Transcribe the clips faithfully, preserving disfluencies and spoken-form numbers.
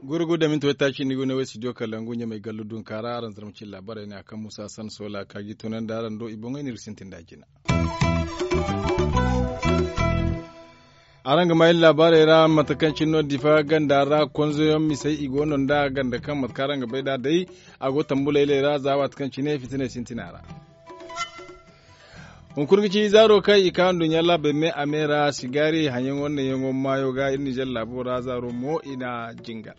Gurgu da minti waytaaci ni go ne way studio kalangu ɲamay gallu dunka ra araŋ zarma cine laabaarey ne a kaŋ musa san soola ka ga i tunandi araŋ do i boŋey no iri ga sintin nd'a jina. Araŋ ga maa iri laabaarey ra mate kaŋ cine no difa ganda ra konzoyaŋ misey i go no nd'a ganda kaŋ mate kaŋ araŋ ga bay nd'a day a go tambuleeley ra za waati kaŋ cine fitiney sintina ra. Hunkuna ga ci zaaro kaŋ i ka nduɲɲa laabey me a me ra sigaari haŋyaŋo naŋyaŋo maayo ga iri ninzeer laabo ra zaaro mo i na jingar.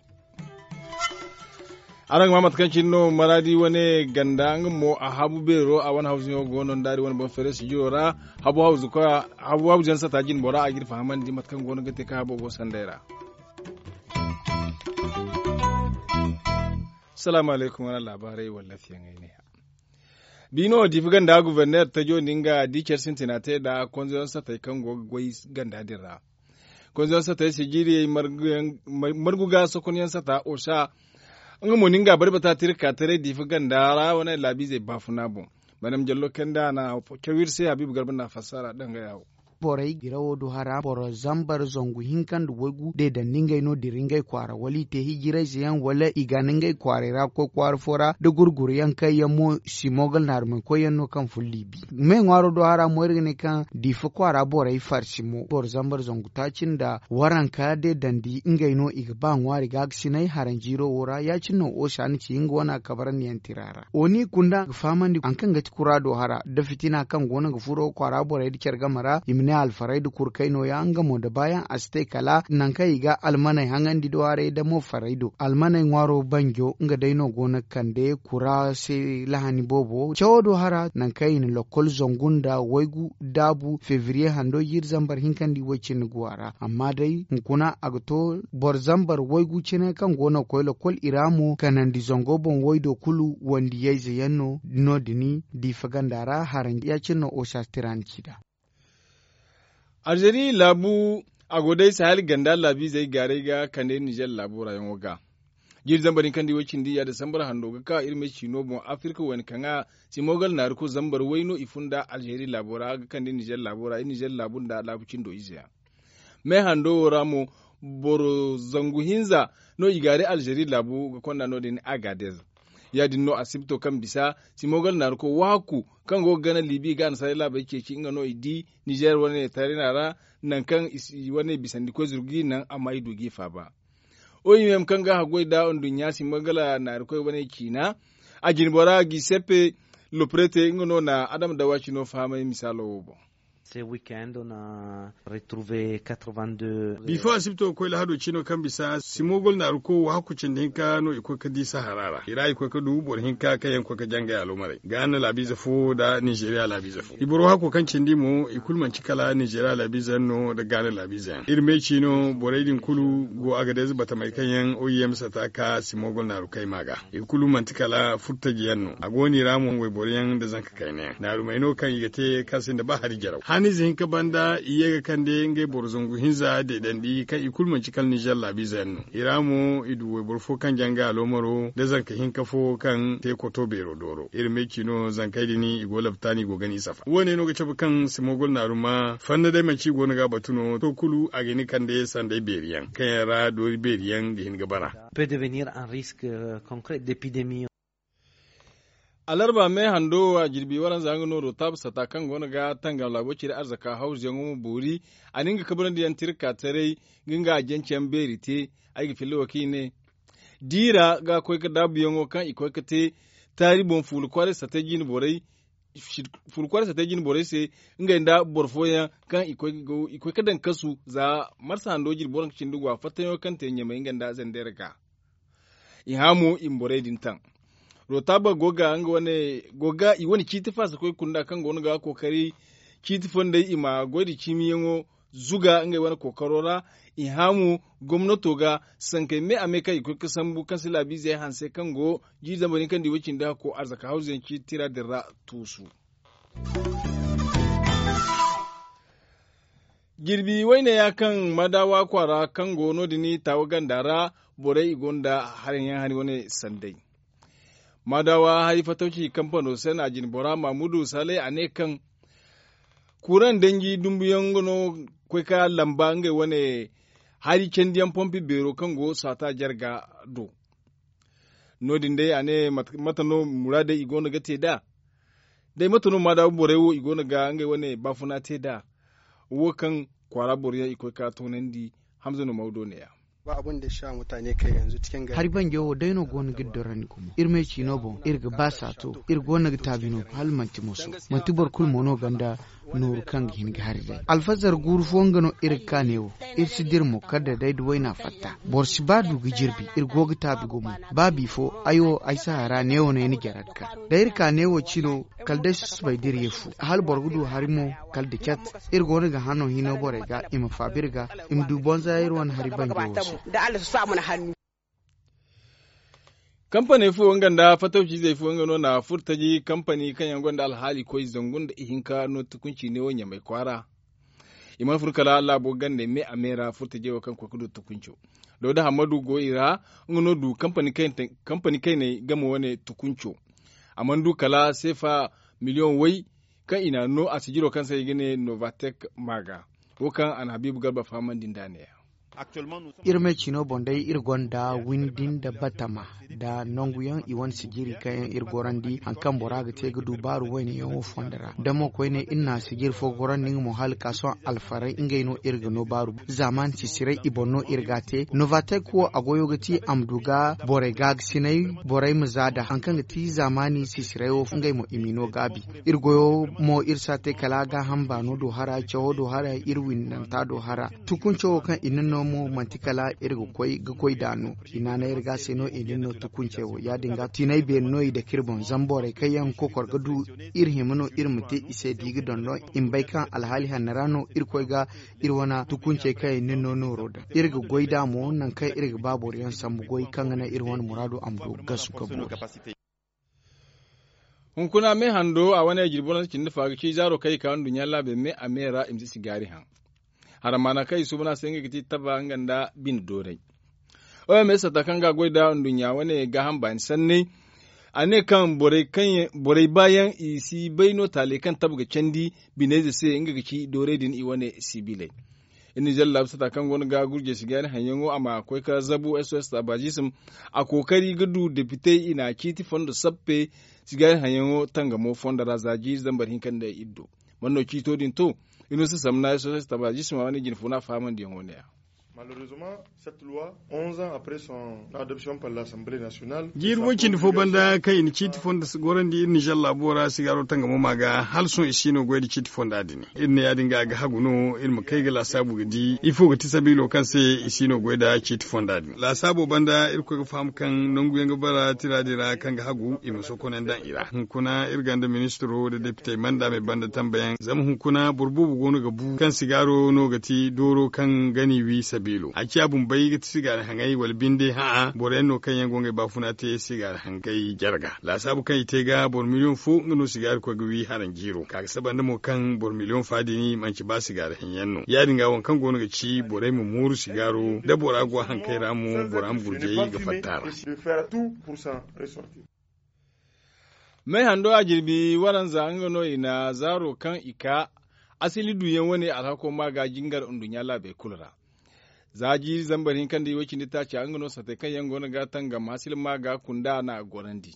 Araŋ ga maa mate kaŋ cine no maraadi wane ganda nga mo a habu beero a wane hawzuyaŋo go no nd'a iri wane boŋ feere sijiro ra. Habu hawzuyaŋ sata jinbo ra a ga iri fahamandi mate kaŋ go no ga te kaŋ habo go sanday ra. Salaamu alaykum wane laabaarey wala fiyaŋey ne ya. Biino diifa ganda guberner tajo din ga di care sintina te nda konzoyaŋ satey kaŋ go ga goy ganda din ra. Konzoyaŋ satey sijiriyey margu ga sokonyaŋ sata osa nga mo nin ga bari bata tira ka taray diifa ganda ra wane laabiizey baafuna boŋ. Madam jallo kanda a na caw iri se habiibu garba na fassara danga ya wo. Borey dirawo du hara boro zambar zangu hinka nda waygu de dandi ngey no dira ngey kwaara wala i te hijirayze yaŋ wala i ga na ngey kwaaray ra ga koy kwaara fo ra da gurguru yaŋ kaŋ yaŋ mo simogal naarumay koy yaŋ no kaŋ fun liibi. Me ŋwaaro do hara mo iri ga ne kaŋ diifa kwaara borey farsi mo boro zambar zangu taaci nda waranka de dandi ngey no i ga ba ŋwaari ga ga sinay haranjiiro wo ra ya- cine no osa na ci nga wane a kabarandi yaŋ tira ra. Oni kunda ga fahamandi haŋ kaŋ ga ti kuraado hara nda fitina kaŋ go no ga furo kwaara borey nda care game ra i ma ne alfaray nda kurkay no- ya nga mo nda baayaŋ a si te kala nangu kaŋ i ga almaney haŋandi do haray nda mo farey do almaney ŋwaaro banjo nga day no go no ga kande kura se lahani boobo cawo do hara nangu kaŋ i na lokkol zangu nda waygu daabu febriye hando jiiri zambar hinka nda i way cindi guwa ra amma day hunkuna a ga to boro zambar waygu cine kaŋ go no ga koy lokkol i ra mo kanandi zango boŋ waydo kulu wandiyayze yaŋ no no- din diifa ganda ra haraŋ ya- cine no osa tiraani ci nd'a. Alzeeri laabu a go day sahel ganda laabiizey gaaray ga kande ninzeer laabu ra yaŋo ga. Jiiri zambar hinka nda i way cindi ya disambar hando ga ka iri me ciino boŋ afirka wayna kaŋ a simogal naari kulu zambar way no i fun nd'a alzeeri laabo ra ga kande ninzeer laabo ra iri ninzeer laabu nda laabu cindo ize yaŋ. Me hando wo ra mo boro zangu hinza no i gaari alzeeri laabu ga konda no- din agadez. Ya- din no asibto kaŋ bisa simogal naari koy wahakku kaŋ go ga gana liibi ga annasaarey laabey ceeci nga no i di ninzeer wane tarina ra nangu kaŋ i wane bisandi koy zuru g'i naŋ amma i du g'i faaba. Oyimem kaŋ ga haggoy nda nduɲɲa simogal naari koy wane ciina a jinbora giseppe loprete nga no na adama dawa cino fahamay misaalo wo boŋ. Bifo asibto ga koy lahado cino kaŋ bisa simogol naaru ko wahakku cindi hinka no i koy ga di sahara ra i ra i koy ga du boro hinka kaŋ yaŋ ga koy ga jangay aloomarey gaana laabiize fo nda ninzeeriya laabiize fo i boro wahakko kaŋ cindi mo i kulu manci kala ninzeeriya laabiize yaŋ no nda gaana laabiize yaŋ iri me ciino borey din kulu go agadez batamey kaŋ yaŋ oim sata ka simogol naaru kayma ga i kulu manti kala furtaji yaŋ no a go no i ra mo wayboro yaŋ nda zanka kayna yaŋ naarumey no kaŋ i ga te kaŋ sinda ba hari jaraw hanize hinka banda i ye ga kande ngey boro zangu hinza deedandi kaŋ i kulu manci kala nizer laabiize yaŋ no i ra mo i du wayboro fo kaŋ janga aloomaro nda zanka hinka fo kaŋ te koto beero dooro iri me ci no zankey din i go labtaani i go gana i safa wo- ne no ga cabe kaŋ simogol naaruma fanna day manci i go no ga a batu no to kulu a ga hin ga kande sanday beeri yaŋ kaŋ yaŋ ra doori beeri yaŋ ga hin ga bara. Alarba me hando wo a jirbi waranza nga no rotaaba sata kaŋ go no ga tangam laabo cire arzaka hawzuyaŋo ma boori a na nga kabrandi yaŋ tirka taray ga nga a jance yaŋ beeri te. Ay ga filla wo kaŋ i ne diira ga koy ga daabuyaŋo kaŋ i koy ga te taari boŋ fuula kwaaray satay jine borey se ngey nda boro fooyaŋ kaŋ i koy ga daŋ kasu za marsa hando jirbi waranka cindi go a fattayaŋo kaŋ te ɲamay nga nda zandera ga. I hã mo i ma borey din taŋ. Rotaaba go ga nga wane go ga i wane ciiti faasa koy kunda kaŋ go no ga kookari ciiti fondey i ma goy nda ciimiyaŋo zuga ngey wane kookaro ra. I hã mo gomnato ga sankey me a me kaŋ i koy ga sambu kaŋ se laabiizey hanse kaŋ go jiiri zambar hinka nda i way cindi hakko arzaka hawzuyaŋ ciiti tira din ra tuusu. Jirbi wayne ya kaŋ madawa kwaara kaŋ go no- din taawa ganda ra borey i gonda haraŋ yaŋ hari wane sanday. Maadawa hari fatawci kampano se no a jine bora maamudu salay a ne kaŋ kuuraŋ danji dumbuyaŋ nga no koy ka lamba ngey wane hari candiyaŋ pompi beero kaŋ go saata jarga do. No- din day a ne mate no muraadey i go no ga te nd'a? Day mate no maadawa borey wo i go no ga ngey wane baafuna te nd'a? Wo kaŋ kwaara boroyaŋ i koy ka toonandi. Hamza no mawdo ne- ya. Hari banjo wo day no go no ga iri dorandi gumo iri me ciino boŋ iri ga ba saato. Iri go no ga taabi no hala manti moso. Manti boro kulu mo no ganda nooru kaŋ ga hin ga hari day alfazar guuru fo nga no iri ga ka neewo. Iri si dira mo kala da day da wayna fatta. Boro si ba du ga jirbi iri go ga taabi gumo. Ba bifo ay wo ay si hara neewo no ay na jara ga ka da iri ka neewo cino. Kala day susubay da iri ye fu hala boro ga du hari mo. Kala da cat iri go no ga hano hino borey ga i ma faabi iri ga i ma du bonza iri wane hari banjo wo se. Kampaney fo nga nda fatawciizey fo nga no na furtaji kampani kaŋ yaŋ gonda alhaali koy zangu nda ihinka no tukunci ne wo ɲamay kwaara. I mana furo kala laabo gandey me a me ra furtajey wo kaŋ koy ga du tukunco. Dawda hammadu go i ra. Nga no du kampani kayney game wane tukunco. A mana du kala seefa miliyoŋ way kaŋ i n'a no a sijiro kaŋ se i ga ne novatek maaga. Wo kaŋ a na habiibu garba fahamandi nd'a ne- ya. Iri me ciino boŋ day iri gonda windi nda batama nda nanguyaŋ i wane sijiri kaŋ yaŋ iri gorandi hari kaŋ bora ga te ga du baaru wayne yaŋo fondo ra da mo koyne iri na sijiri fo gorandi nga mo hala ka sohõ alfaray ngey no iri ga no baaru. Zaamaani sisiray i boŋ no iri ga a te novatek wo a goyo ga ti a ma du ga borey gaagasinay. Borey ma za da hari kaŋ ga ti zaamaani sisiray wo ngey mo i m'i no gaabi. Iri goyo mo iri si a te kala gaaham baano do hara cawo do hara iri windanta do hara. Tukunco wo kaŋ i na no mo manti kala iri ga koy ga goy nd'a no. I naanay iri ga se no i na no tukunce wo ya- din ga tiinay beeri no i dake iri boŋ zama borey kaŋ yaŋ ga kokor ga du iri hima no iri ma te i se da i ga dondon i ma bay kaŋ alhaali hanno ra no iri koy ga iri wane tukuncey kaŋ i na no nooro daŋ. Iri ga goy nd'a mo nangu kaŋ iri ga ba boro yaŋ sambu goy kaŋ ga naŋ iri wane muraado a ma du ga gasu ga boori. Hunkuna me hando a wane jirbi wane cindi fa ga ci zaaro kaŋ i ka nduɲɲa laabey me a me ra i ma si sigaari haŋ. Haramaana kaŋ i suuban a se nga ga ti taba nga nda bine doonay. Oms sata kaŋ ga a goy nda nduɲɲa wane gaaham baani sanney. A ne kaŋ borey baayaŋ i si bay no taaley kaŋ taba ga candi bineyze se nga ga ci doorey din i wane sibiley. Iri na zalla laabu sata kaŋ go no ga gurjey sigaari haŋyaŋo a ma koy ka zabu sos taabazism. A kookari ga du depitey i n'a ciiti fondo sappe. Sigaari haŋyaŋo tangamo fondo ra za jiiri zambar hinka nda iddo. Man no ciito din to? Iri no si samna sos taabazism a wane jine fo no a fahamandiyaŋo ne- ya. Malheureusement, cette loi, onze ans après son adoption par l'assemblée nationale. Jiiri way cindi fo banda kaŋ i na ciiti fonda gorandi iri nizer laabo ra sigaaro tangamo ma ga hala sohõ i si no goy nda ciiti fonda din. Iri ne ya- din ga a ga hagu no iri ma kay ga laasaabu ga di ifo ga ti sabiilo kaŋ se i si no goy nda ciiti fonda din laasaabo banda iri koy ga faham kaŋ nangu yaŋ ga bara tira din ra kaŋ ga hagu i ma sokonay daŋ i ra hunkuna iri gonda ministiro nda depitey manda me banda tambayaŋ zama hunkuna boro boobo go no ga bu kaŋ sigaaro no ga ti dooro kaŋ ga n'i wi sabiilo a ciya bumbey ga ti sigaari haŋay wala binde hã'a boro yaŋ no kaŋ yaŋ go ngey baafuna te sigaari haŋgay jarga laasaabu kaŋ i te ga boro miliyoŋ fo nga no sigaari koy ga wi haranjiiro ka ga saba nda mo kaŋ boro miliyoŋ fa din manci ba sigaari haŋyaŋ no ya- din ga waŋ kaŋ go no ga ci borey ma mooru sigaaro da bora go haŋkay ra mo bora ma gurjay ga fatta ra. May hando a jirbi waranza nga no i na zaaro kaŋ i ka asili duyaŋ wane alhako ma ga jingar nduɲɲa laabey kulu ra. Za jiiri zambar hinka nda iway cindi taaca nga no sate kaŋ yaŋ go no ga tangam asili ma ga kunda na a gorandi.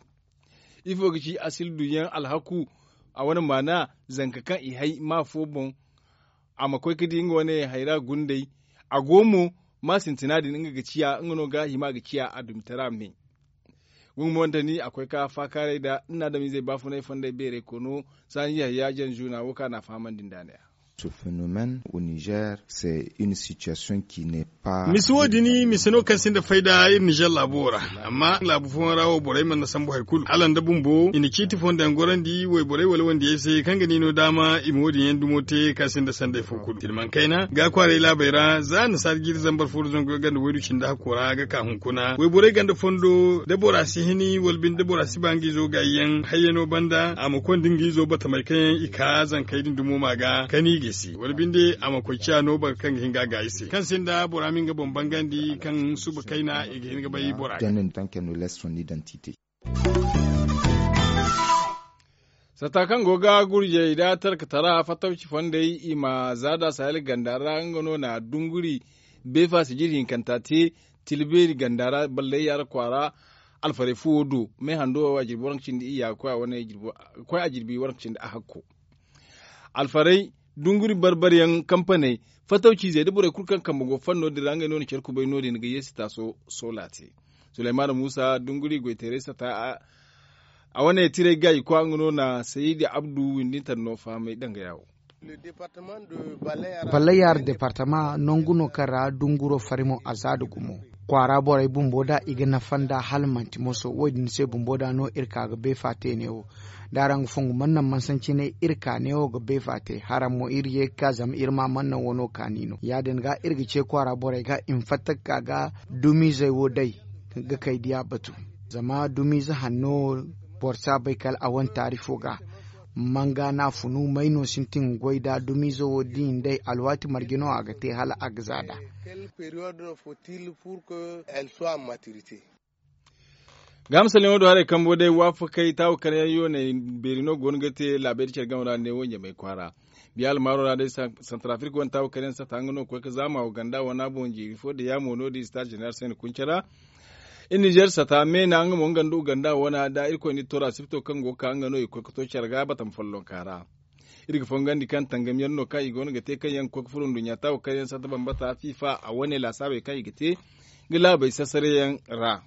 Ifo ga ci asili duyaŋ alhaku a wane maana zanka kaŋ i hay ma fo boŋ a ma koy ga di nga wane hayra gundey. A go mo ma sintina din nga ga ciya nga no ga hima ga ciya a dumitara me. Gumo wante ni a koy ka faakaaray nda ni na adamizey baafunay fonday beeray kono saani yahya janzuna wo kaŋ a na a fahamandi nda ne. Ce phénomène au niger c'est une situation qui n'est pas misi wo- din mise no kaŋ sinda fayda iri nizer laabo ra. Amma laabu fooyaŋ ra wo borey mana sambu hari kulu hala nda bumbo i na ciiti fondo yaŋ gorandi wayborey wala wandiyey se kaŋ ga ni no daama i ma wo- din yaŋ dumo te kaŋ sinda sanday fo kulu iri mana kayna ga kwaaray laabey ra za nasaara jiiri zambar fo nda zangu yaŋ ganda waydu cindi hakko ra ga ka hunkuna wayborey ganda fondo da bora si hini wala binde da bora si ba nga izo gaayi yaŋ hayyano banda a ma konda nga izo batamey kaŋ yaŋ i ka zankey din dumo ma ga ka ni gisi wala binde a ma koy ciya no boro kaŋ ga hin ga gaayi se kaŋ sinda bora ma nga boŋ bangandi kaŋ suba kayna i ga hin ga bay bora. Donne tant qu'elle ne laisse son identité. Sata kaŋ go ga gurjey nda tarkatara fattawci fondey i ma zaada sahel ganda ra nga no na dunguri beefa sijir hinkanta te. Tilbeeri ganda ra ballayyaara kwaara alfarey fuwo do me hando a jirbi waranka cindi iyya koy a jirbi waranka cindi a hakko. Alfarey dunguri barbaryaŋ kampaney fattawciizey nda borey kulu kaŋ kambe go fanno din ra ngey no na care kubay no- din ga yeesi taaso soola te. Sulaymaana muusa dunguri goyteeray sata a wane tiray gaayi kwa nga no na sayidi abdu windinta no fahamay danga yaawo. Ballayar departama nangu no kaŋ ra dunguro farimo a za da gumo kwaara borey bumbo da i ga nafa nda hala manti moso wo- din se bumbo da no iri ka ga beefa te neewo. Da araŋ ga fongu mana naŋ mansancinay iri ka neewo ga beefa te haraŋ mo iri ye ga ka zama iri ma mana naŋ wano kaani no ya- din ga iri ga ce kwaara borey ga i ma fatta ga ka ga dumiizey wo day ga kay diya batu. Zama dumiize hanno wo boro si a bay kala a wane taarifo ga. Manga no a funu may no sintin ga goy nd'a dumiize wo da i nd'ey alwaati marje no a ga te hala a ga za nd'a. Gaama salyaŋo do haray kambo day waafakey taawa kar yaŋ yooney beeri no go no ga te laabey da care game ra ne wo ɲamay kwaara. Biya almaaro ra day santarafirka wane taawa kar yaŋ sata nga no ga koy ga zaama wo ganda wana boŋ jiiri fo da yaamo no- din star jeneral se ni kunce ra. Iri nizer sata meena nga mo nga nda uganda wana da irkoy na iri to ra sipto kaŋ go ga ka nga no i ga koy ga to care ga batama follonka ra. Iri ga fongandi kaŋ tangamyaŋ no kaŋ i go no ga te kaŋ yaŋ ga koy ga furo nduɲɲa taawa kar yaŋ sata bambata fifa a wane laasaabey kaŋ i ga te ga laabey sasare yaŋ ra.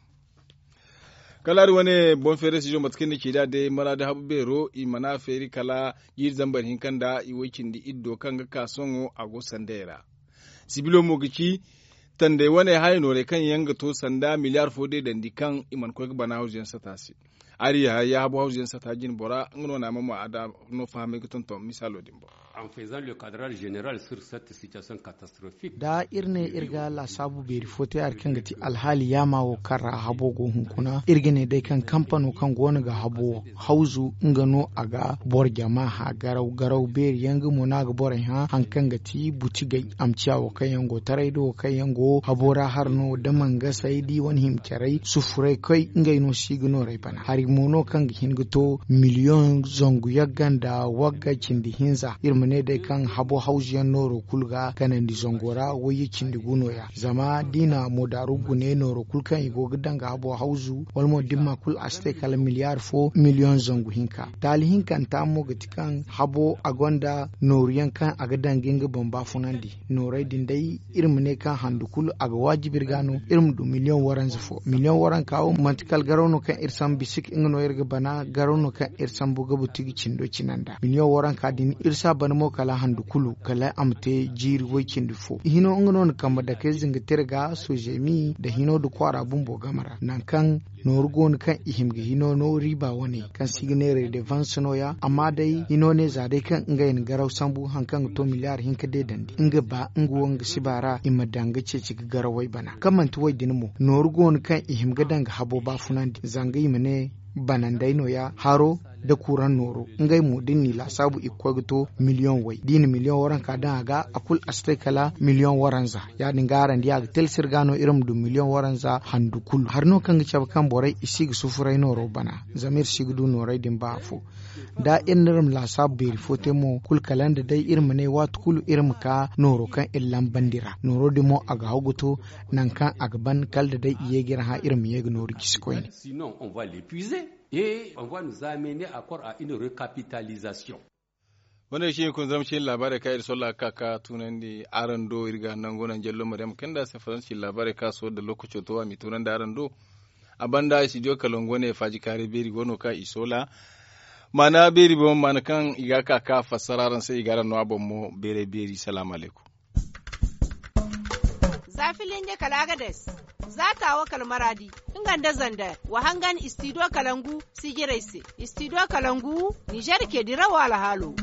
Kala hari wane boŋ feerey si zo mate kaŋ ni ci nd'a day maraadi habu beero i mana feeri kala jiiri zambar hinka nda i way cindi iddo kaŋ ga ka sohõ a go sandey ra. Sibilo mo ga ci tandey wane haya noorey kaŋ yaŋ ga to sanda miliyaar fo deedandi kaŋ i mana koy ga bana hawzu yaŋ sata se. Ari yahaya habu hawzu yaŋ sata jine bora nga no na a mama a da no fahamay ga tonton misaalo din boŋ. Da iri ne iri ga laasaabu beeri fo te hari kaŋ ga ti alhaali yaama wo kaŋ ra habo go hunkuna iri ga ne day kaŋ kampano kaŋ go no ga habo hawzu nga no a ga boro jama hã garaw garaw beeri yaŋ nga mo no a ga borey hã hari kaŋ ga ti butigey a ma ciya wo kaŋ yaŋ go taray da wo kaŋ yaŋ go habo ra hari no da mangasey da i wane hima carey sufuray koy ngey no si ga noorey bana hari mo no kaŋ ga hin ga to miliyoŋ zangu yagga nda wagga cindi hinza iri ma ne day kaŋ habo hawzu yaŋ nooro kulu ga ganandi zango ra wayye cindi gu no- ya zama da i na moodaaru gune nooro kulu kaŋ i go ga daŋ ga habo hawzu wala mo da ni ma kulu a si te kala miliyaar fo miliyoŋ zangu hinka. Taali hinkanta mo ga ti kaŋ habo a gonda nooru yaŋ kaŋ a ga daŋ ga nga boŋ baafunandi noorey din day iri ma ne kaŋ handu kulu a ga waajib iri ga no iri ma du miliyoŋ waranza fo miliyoŋ waranka wo manti kala garaw no kaŋ iri sambu bisik nga no iri ga bana garaw no kaŋ iri sambu ga buti ga cindo cina nda miliyoŋ waranka din iri si a bana mo kala handu kulu kala a ma te jiiri way cindi fo hino nga no na kambe dake zinga tira ga sojemi nda hino nda kwaara bumbo game ra nangu kaŋ nooru go no kaŋ i hima ga hino no riiba wane kaŋ se i ga neera devanse no- ya amma day hino ne za day kaŋ ngey na garaw sambu hari kaŋ ga to miliyaar hinka deedandi nga ba nga wo nga siba ra i ma daŋ ga ceeci ga garawey bana kaŋ manti wo- din mo nooru go no kaŋ i hima ga daŋ ga habo baafunandi zanga i ma ne banandey no- ya haro nda kuraŋ nooro ngey mo da ni n'i laasaabu i ga koy ga to miliyoŋ way da i na miliyoŋ waranka daŋ a ga a kulu a si te kala miliyoŋ waranza ya- din ga araŋ di a ga talsir ga no iri ma du miliyoŋ waranza handu kulu hari no kaŋ ga cabe kaŋ borey i si ga sufuray nooro bana zama iri si ga du noorey din ba afo da iri na iri ma laasaabu beeri fo te mo kulu kala nda day iri ma ne waati kulu iri ma ka nooro kaŋ iri lambandi ra nooro din mo a ga haw ga to nangu kaŋ a ga ban kala da day i ye ga iri hã iri ma ye ga nooru jisi koyne. Wane ga cine kun zama cine laabaarey kaŋ iri solla ga ka ka tunandi araŋ do iri ga nangu naŋ jallo maryam kanda se faransi cine laabaarey kaŋ a sohõ da lookaco to a m'i tunandi araŋ do. A banda studio kalangu wane faaji kaaray beeri go no kaŋ i soola maana beeri boŋ maana kaŋ i ga ka ka fassara araŋ se i ga araŋ no a boŋ mo beeray beeri salaamu alaykum. Za filinge kala agades za taawo kala maraadi nga nda zander wa hangan studio kalangu sijirey se. Studio kalangu nizer ke dirawo alhaalo.